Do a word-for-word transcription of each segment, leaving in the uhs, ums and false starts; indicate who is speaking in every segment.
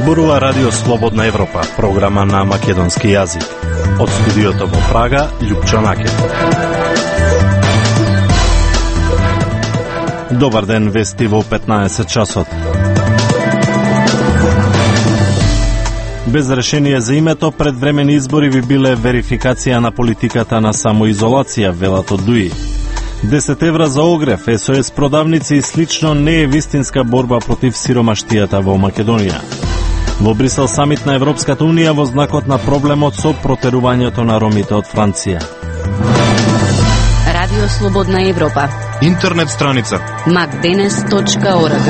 Speaker 1: Зборува Радио Слободна Европа, програма на македонски јазик. Од студиото во Прага, Љупчо Накет. Добар ден, вести во петнаесет часот. Без решение за името, предвремени избори би биле верификација на политиката на самоизолација, велат од ДУИ. десет евра за огрев, Ес О Ес продавници и слично не е вистинска борба против сиромаштијата во Македонија. Во Брисел самит на Европската Унија во знакот на проблемот со протерувањето на ромите од Франција.
Speaker 2: Радио Слободна Европа.
Speaker 3: Интернет страница
Speaker 2: макденес точка орг.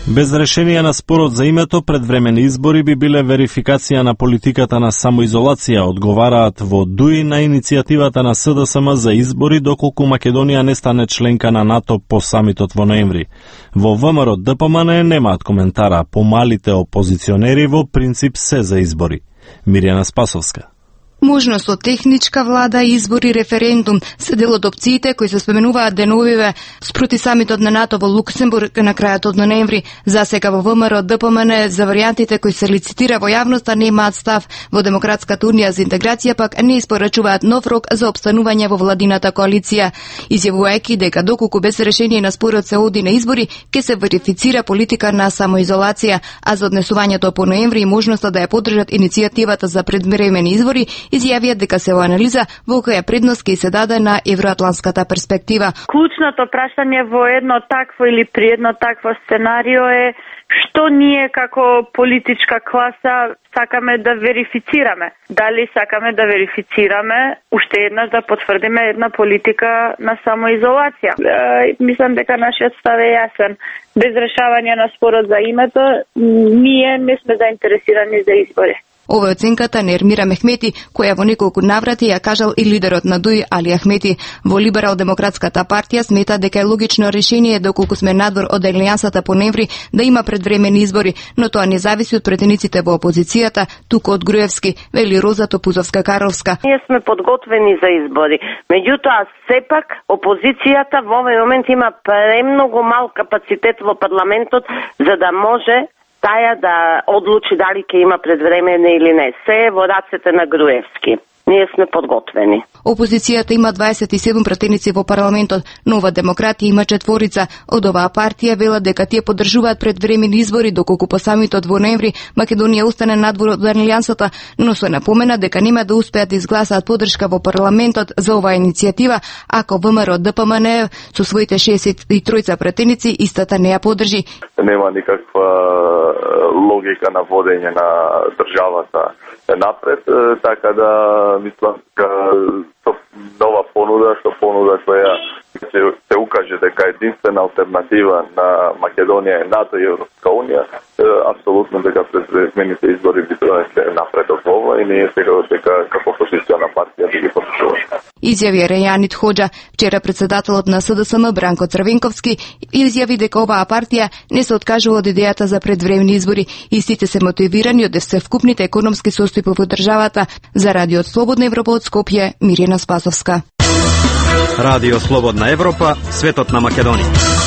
Speaker 1: Без решение на спорот за името, предвремени избори би биле верификација на политиката на самоизолација, одговараат во ДУИ на иницијативата на С Д С М за избори доколку Македонија не стане членка на НАТО по самитот во ноември. Во В М Р Д П М Н немаат коментара, помалите опозиционери во принцип се за избори. Мирјана Спасовска.
Speaker 4: Можност од техничка влада, избори, референдум се дел од опциите кои се споменуваат деновиве спроти самитот на НАТО во Луксембург на крајот од ноември. За сега во В М Р Д П М Н за варијантите кои се лицитира во јавноста немаат став. Во Демократската унија за интеграција пак не испорачуваат нов рок за опстанување во владината коалиција, изјавувајќи дека доколку без решение на спорот се оди на избори, ќе се верифицира политика на самоизолација, а за однесувањето по ноември и можноста да ја поддржат иницијативата за предвремени избори, изјавија дека се во анализа во која предност ќе се даде на евроатланската перспектива.
Speaker 5: Клучното прашање во едно такво или при едно такво сценарио е што ние како политичка класа сакаме да верифицираме. Дали сакаме да верифицираме уште еднаш да потврдиме една политика на самоизолација. Е, мислам дека нашиот став е јасен. Без решавање на спорот за името, ние не сме заинтересирани за избори.
Speaker 4: Ова е оценката на Ермира Мехмети, која во неколку наврати ја кажал и лидерот на ДУИ Али Ахмети. Во Либерал-демократската партија смета дека е логично решение доколку сме надвор од алијансата по ноември да има предвремени избори, но тоа не зависи од претениците во опозицијата, туку од Груевски, вели Роза Топузовска-Карловска.
Speaker 6: Ние сме подготвени за избори. Меѓутоа, сепак опозицијата во овој момент има премногу мал капацитет во парламентот за да може таја да одлучи дали ќе има предвремене или не. Се е во рацете на Груевски. Ние сме подготвени.
Speaker 4: Опозицијата има дваесет и седум пратеници во парламентот, Нова демократија има четворица. Од оваа партија велат дека тие поддржуваат предвремени избори доколку по самитот во ноември Македонија остане надвор од алијансата, но се напомена дека нема да успеат да изгласаат поддршка во парламентот за оваа иницијатива ако В М Р Д П М Н со своите шеесет и тројца пратеници истата не ја поддржи.
Speaker 7: Нема никаква логика на водење на државата напред, така да мислам дека со нова понуда, со понуда која се, се укаже дека единствена алтернатива на Македонија е НАТО и Европска Унија, апсолутно дека предвремените избори би донесле напред од ова и ние сега дека како опозициона партија да ги поддржуваме.
Speaker 4: Изјави Рејанит Хоџа. Вчера председателот на С Д С М Бранко Црвенковски изјави дека оваа партија не се откажува од идејата за предвремени избори. Истите се мотивирани од всевкупните економски состојби во државата. За Радио Слободна Европа од Скопје, Мирјана Спасовска.
Speaker 3: Радио Слободна Европа, светот на Македонија.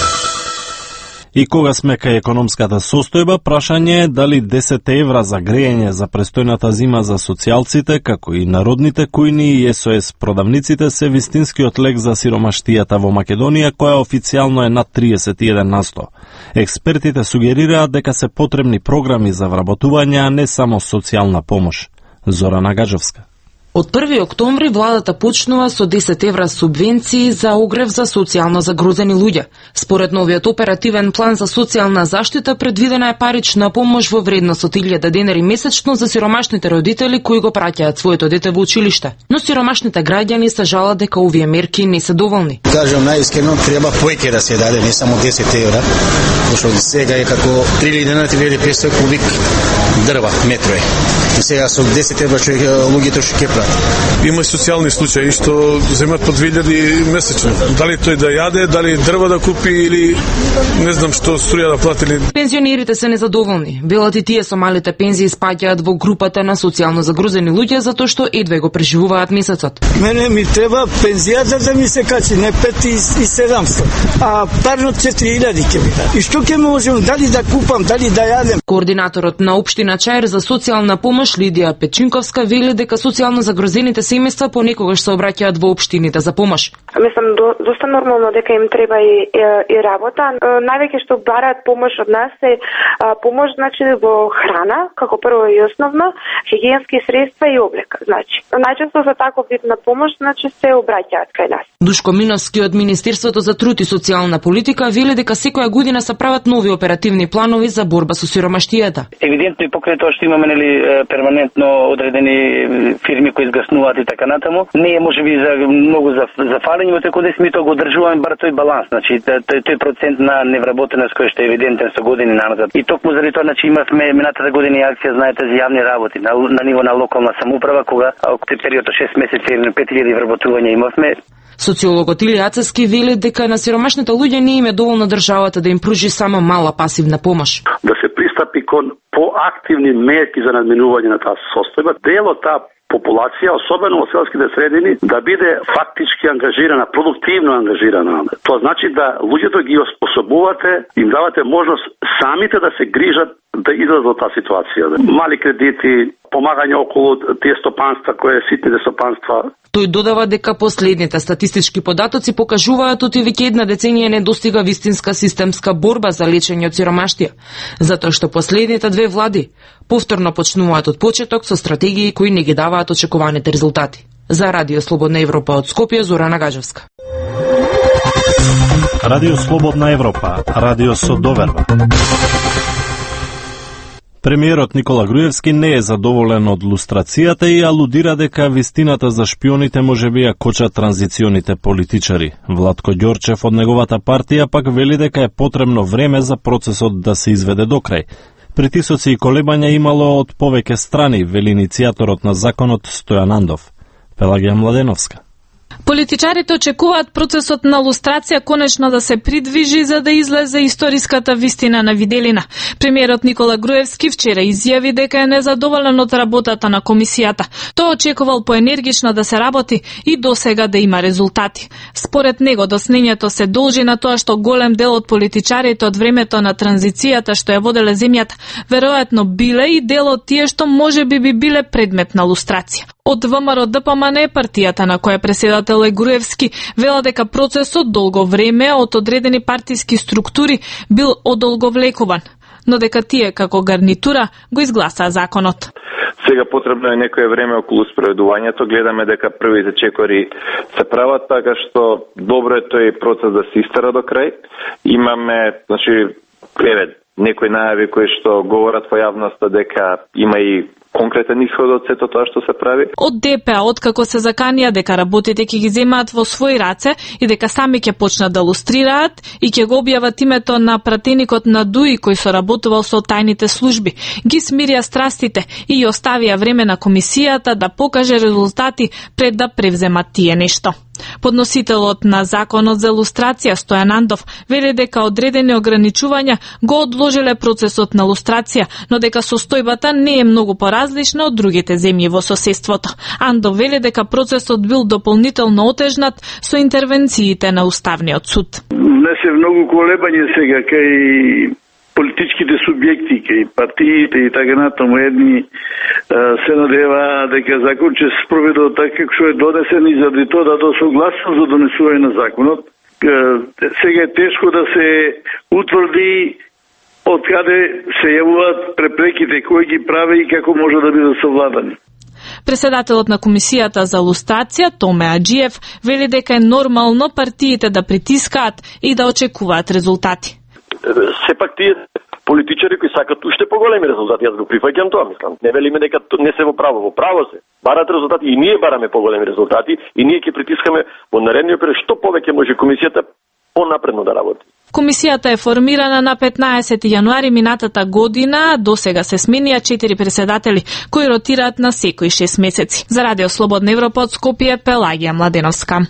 Speaker 1: И кога сме кај економската состојба, прашање е дали десет евра за грејење за престојната зима за социјалците, како и народните кујни и Ес О Ес продавниците се вистинскиот лек за сиромаштијата во Македонија, која официјално е над триесет и еден на сто. Експертите сугерираат дека се потребни програми за вработување, а не само социјална помош. Зорана Гаджовска.
Speaker 8: Од први октомври владата почнува со десет евра субвенции за огрев за социјално загрозени луѓе. Според новиот оперативен план за социјална заштита предвидена е парична помош во вредност од илјада денари месечно за сиромашните родители кои го праќаат своето дете во училиште. Но сиромашните граѓани се жалат дека овие мерки не се доволни.
Speaker 9: Кажам најискрено, треба повеќе да се даде, не само десет евра, пошто сега е како три илјади денари, три илјади и петстотини кубик дрва, метро е. И сега со десет евра луѓето што ќе
Speaker 10: евра. Има и социјални случаи што земат по две илјади месечно. Дали тој да јаде, дали дрва да купи или не знам што струја да платили.
Speaker 8: Пензионерите се незадоволни. Велат и тие со малите пензии спаѓаат во групата на социјално загрузени луѓе затоа што едве го преживуваат месецот.
Speaker 11: Мене ми треба пензијата да ми се качи, не пет и седамстотини, а парно четири илјади ќе ми даде. И што ќе можам, дали да купам, дали да јадем?
Speaker 8: Координаторот на општина Чаир за социјална помош Лидија Печинковска вели дека социјално загрозените семејства понекогаш се обраќаат во општините за помош.
Speaker 12: Мислам до, доста нормално дека им треба и, и, и работа. Највеќе што бараат помош од нас е а, помош значи во храна, како прво и основно, хигиенски средства и облека. Значи, најчесто за таков вид на помош значи се обраќаат кај нас.
Speaker 8: Душко Миновски од Министерството за труд и социјална политика вели дека секоја година се прават нови оперативни планови за борба со сиромаштијата.
Speaker 13: Евидентно и покрај тоа што имаме нели перманентно одредени фирми кои изгаснуваат и така натаму, не е можеби за многу за за фалење, но кодес ми тоа го одржуваме бар тој баланс, значи тој тој процент на невработеност кој што е евидентен со години назад. И токму заради тоа значи имавме минатата година и акција, знаете, за јавни работи на, на ниво на локална самоуправа, кога во период од шест месеци или пет илјади вработувања имавме.
Speaker 8: Социологот Илија Ацевски вели дека на сиромашните луѓе не им е доволно државата да им пружи само мала пасивна помош.
Speaker 14: Да се пристапи кон поактивни мерки за надминување на таа состојба, дел од таа популација, особено во селските средини, да биде фактички ангажирана, продуктивно ангажирана. Тоа значи да луѓето ги оспособувате, им давате можност самите да се грижат да излезат од таа ситуација. Мали кредити, помагање околу тие стопанства, кои е ситните стопанства.
Speaker 8: Тој додава дека последните статистички податоци покажуваат оти веќе една деценија не достига вистинска системска борба за лечење од сиромаштија, затоа што последните две влади повторно почнуваат од почеток со стратегии кои не ги даваат очекуваните резултати. За Радио Слободна Европа од Скопје, Зорана Гаджевска.
Speaker 1: Радио Слободна Европа, радио со доверба. Премиерот Никола Груевски не е задоволен од лустрацијата и алудира дека вистината за шпионите можеби ја кочат транзиционите политичари. Владко Ѓорчев од неговата партија пак вели дека е потребно време за процесот да се изведе до крај. Притисоци и колебања имало од повеќе страни, вели иницијаторот на законот Стојан Андов. Пелагија Младеновска.
Speaker 15: Политичарите очекуваат процесот на лустрација конечно да се придвижи за да излезе историската вистина на виделина. Премиерот Никола Груевски вчера изјави дека е незадоволен од работата на комисијата. Тој очекувал поенергично да се работи и досега да има резултати. Според него доснењето се должи на тоа што голем дел од политичарите од времето на транзицијата што ја воделе земјата веројатно биле и дел од тие што можеби би биле предмет на лустрација. Од ВМРО Д П М Н, партијата на која преседател е Груевски, вела дека процесот долго време од одредени партиски структури бил одолговлекуван, но дека тие како гарнитура го изгласаа законот.
Speaker 16: Сега потребно е некое време околу спроведувањето. Гледаме дека првите чекори се прават, така што добро е тој процес да се истера до крај. Имаме, значи, еве, некои најави кои што говорат во јавноста дека има и конкретен исход од сето тоа што се прави.
Speaker 15: Од Д П А, откако се заканија дека работите ќе ги земаат во своји раце и дека сами ќе почнат да лустрираат и ќе го објават името на пратеникот на ДУИ кој соработувал со тајните служби, ги смирија страстите и оставија време на комисијата да покаже резултати пред да превземат тие нешто. Подносителот на законот за лустрација Стојан Андов вели дека одредени ограничувања го одложиле процесот на лустрација, но дека состојбата не е многу поразлична од другите земји во соседството. Андов вели дека процесот бил дополнително отежнат со интервенциите на Уставниот суд.
Speaker 17: Не се многу колебање сега кај политичките субјекти, кај партиите и така натаму, едни се надева дека закон ќе се спроведе така како што е донесен и заради тоа да согласен за донесување на законот. Сега е тешко да се утврди од каде се јавуваат препреките, кои ги прави и како може да бидат совладани.
Speaker 15: Преседателот на комисијата за лустрација Томе Аџиев вели дека е нормално партиите да притискаат и да очекуваат резултати.
Speaker 18: Сепак тие политичари кои сакат уште поголеми резултати, јас го прифаќам тоа, мислам. Не велиме дека не се во право, во право се. Барат резултати и ние бараме поголеми резултати и ние ќе притискаме во наредниот период што повеќе може комисијата понапредно да работи.
Speaker 15: Комисијата е формирана на петнаесети јануари минатата година, до сега се сменија четири председатели, кои ротираат на секои шест месеци. За Радио Слободна Европа од Скопје, Пелагија Младеновска.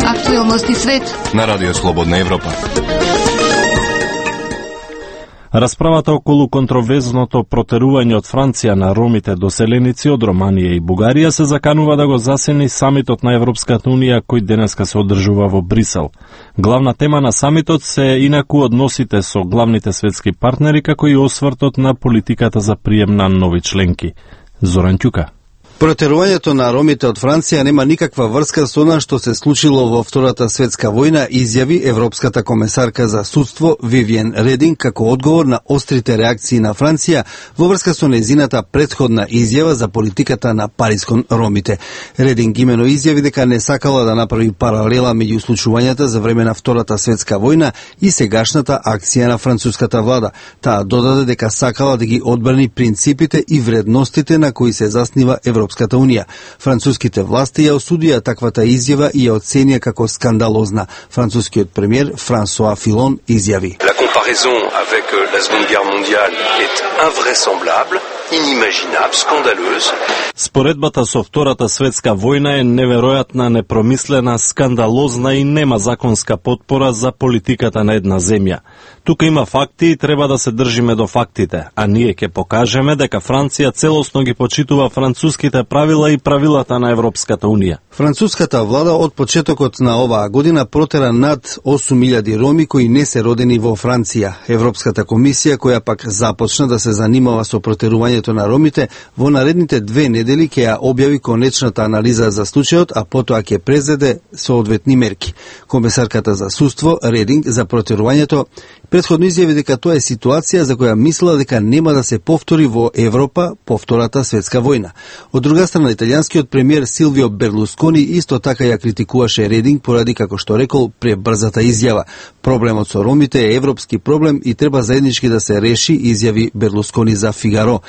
Speaker 4: Актуелности свет
Speaker 19: на Радио Слободна Европа.
Speaker 1: Расправата околу контроверзното протерување од Франција на ромите доселеници од Романија и Бугарија се заканува да го засени самитот на Европската унија кој денеска се одржува во Брисел. Главна тема на самитот се инаку односите со главните светски партнери како и освртот на политиката за прием на нови членки. Зоран Ќука.
Speaker 20: Протерувањето на ромите од Франција нема никаква врска со она што се случило во Втората светска војна, изјави европската комесарка за судство Вивиен Рединг како одговор на острите реакции на Франција во врска со нејзината претходна изјава за политиката на Париз кон ромите. Рединг имено изјави дека не сакала да направи паралела меѓу случувањата за време на Втората светска војна и сегашната акција на француската влада. Таа додаде дека сакала да ги одбрани принципите и вредностите на кои се заснива Европската Европската унија. Француските власти ја осудија таквата изјава и ја оценија како скандалозна. Францускиот премиер Франсоа Филон изјави:
Speaker 19: La comparaison avec la Seconde Guerre mondiale est invraisemblable, inimaginable, scandaleuse.
Speaker 1: Споредбата со Втората светска војна е неверојатна, непромислена, скандалозна и нема законска потпора за политиката на една земја. Тука има факти и треба да се држиме до фактите, а ние ќе покажеме дека Франција целосно ги почитува француските правила и правилата на Европската унија.
Speaker 20: Француската влада од почетокот на оваа година протера над осум илјади роми кои не се родени во Франција. Европската комисија, која пак започна да се занимава со протерувањето на ромите, во наредните две недели ќе ја објави конечната анализа за случајот, а потоа ќе презеде соодветни мерки. Комесарката за судство Рединг за протерувањето претходно изјави дека тоа е ситуација за која мислела дека нема да се повтори во Европа по Втората светска војна. Од друга страна, италијанскиот премиер Силвио Берлускони исто така ја критикуваше Рединг поради, како што рекол, пребрзата изјава. Проблемот со ромите е европски проблем и треба заеднички да се реши, изјави Берлускони за Фигаро.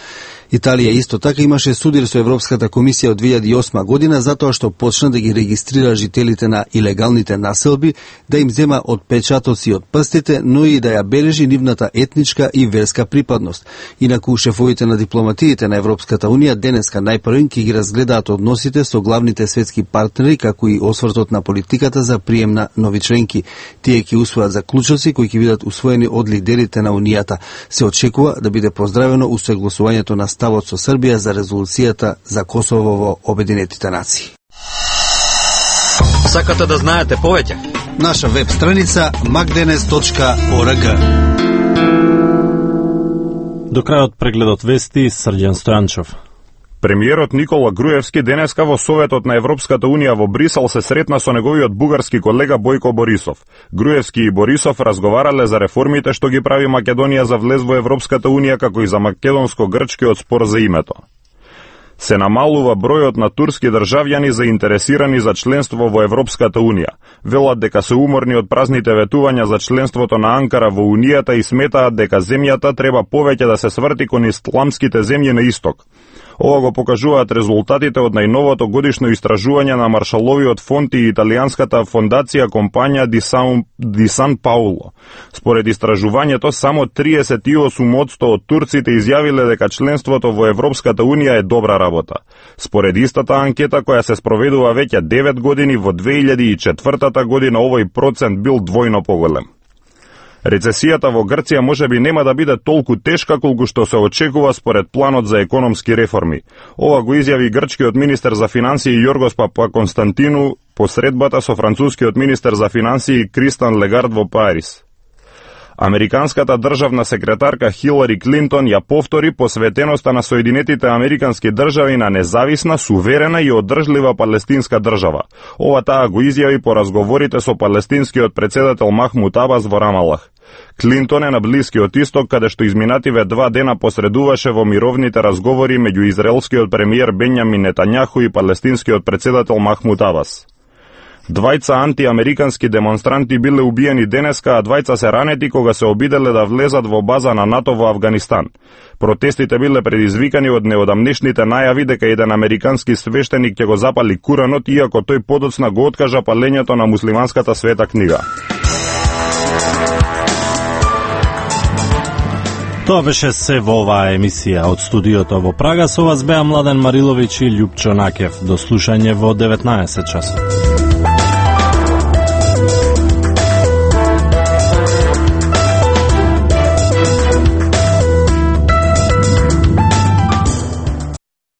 Speaker 20: Италија исто така имаше судир со Европската комисија од две илјади и осма година затоа што почна да ги регистрира жителите на илегалните населби, да им зема отпечатоци од прстите, но и да ја бележи нивната етничка и верска припадност. Инаку шефовите на дипломатиите на Европската унија денеска најпрвен ќе ги разгледаат односите со главните светски партнери, како и освртот на политиката за прием на нови членки. Тие ќе усвојат заклучоци кои ќе бидат усвоени од лидерите на унијата. Се очекува да биде поздравено усогласувањето на ставот со Србија за резолуцијата за Косово во Обединетите нации.
Speaker 3: Сакате да знаете повеќе?
Speaker 20: Наша веб страница макденес точка орг.
Speaker 1: До крајот прегледот вести Срđan Стојанчов.
Speaker 21: Премиерот Никола Груевски денеска во Советот на Европската унија во Брисел се сретна со неговиот бугарски колега Бојко Борисов. Груевски и Борисов разговарале за реформите што ги прави Македонија за влез во Европската унија, како и за македонско-грчкиот спор за името. Се намалува бројот на турски државјани заинтересирани за членство во Европската унија. Велат дека се уморни од празните ветувања за членството на Анкара во унијата и сметаат дека земјата треба повеќе да се сврти кон исламските земји на исток. Ова го покажуваат резултатите од најновото годишно истражување на Маршаловиот фонд и италијанската фондација компања Ди Сан, Ди Сан Пауло. Според истражувањето, само триесет и осум одсто од турците изјавиле дека членството во Европската унија е добра работа. Според истата анкета која се спроведува веќе девет години, во две илјади и четвртата година овој процент бил двојно поголем. Рецесијата во Грција можеби нема да биде толку тешка колку што се очекува според планот за економски реформи. Ова го изјави грчкиот министер за финансии Јоргос Папаконстантину по средбата со францускиот министер за финансии Кристан Легард во Париз. Американската државна секретарка Хилари Клинтон ја повтори посветеноста на Соединетите Американски држави на независна, суверена и одржлива палестинска држава. Ова таа го изјави по разговорите со палестинскиот председател Махмуд Абас во Рамалах. Клинтон е на Блискиот исток, каде што изминативе два дена посредуваше во мировните разговори меѓу израелскиот премиер Бенјамин Нетањаху и палестинскиот председател Махмуд Абас. Двајца антиамерикански демонстранти биле убиени денеска, а двајца се ранети кога се обиделе да влезат во база на НАТО во Авганистан. Протестите биле предизвикани од неодамнешните најави дека еден американски свештеник ќе го запали Куранот, иако тој подоцна го откажа палењето на муслиманската света книга.
Speaker 1: Тоа беше се во оваа емисија од студиото во Прага. Со вас беа Младен Мариловиќ и Љупчо Накев. До слушање во деветнаесет часот.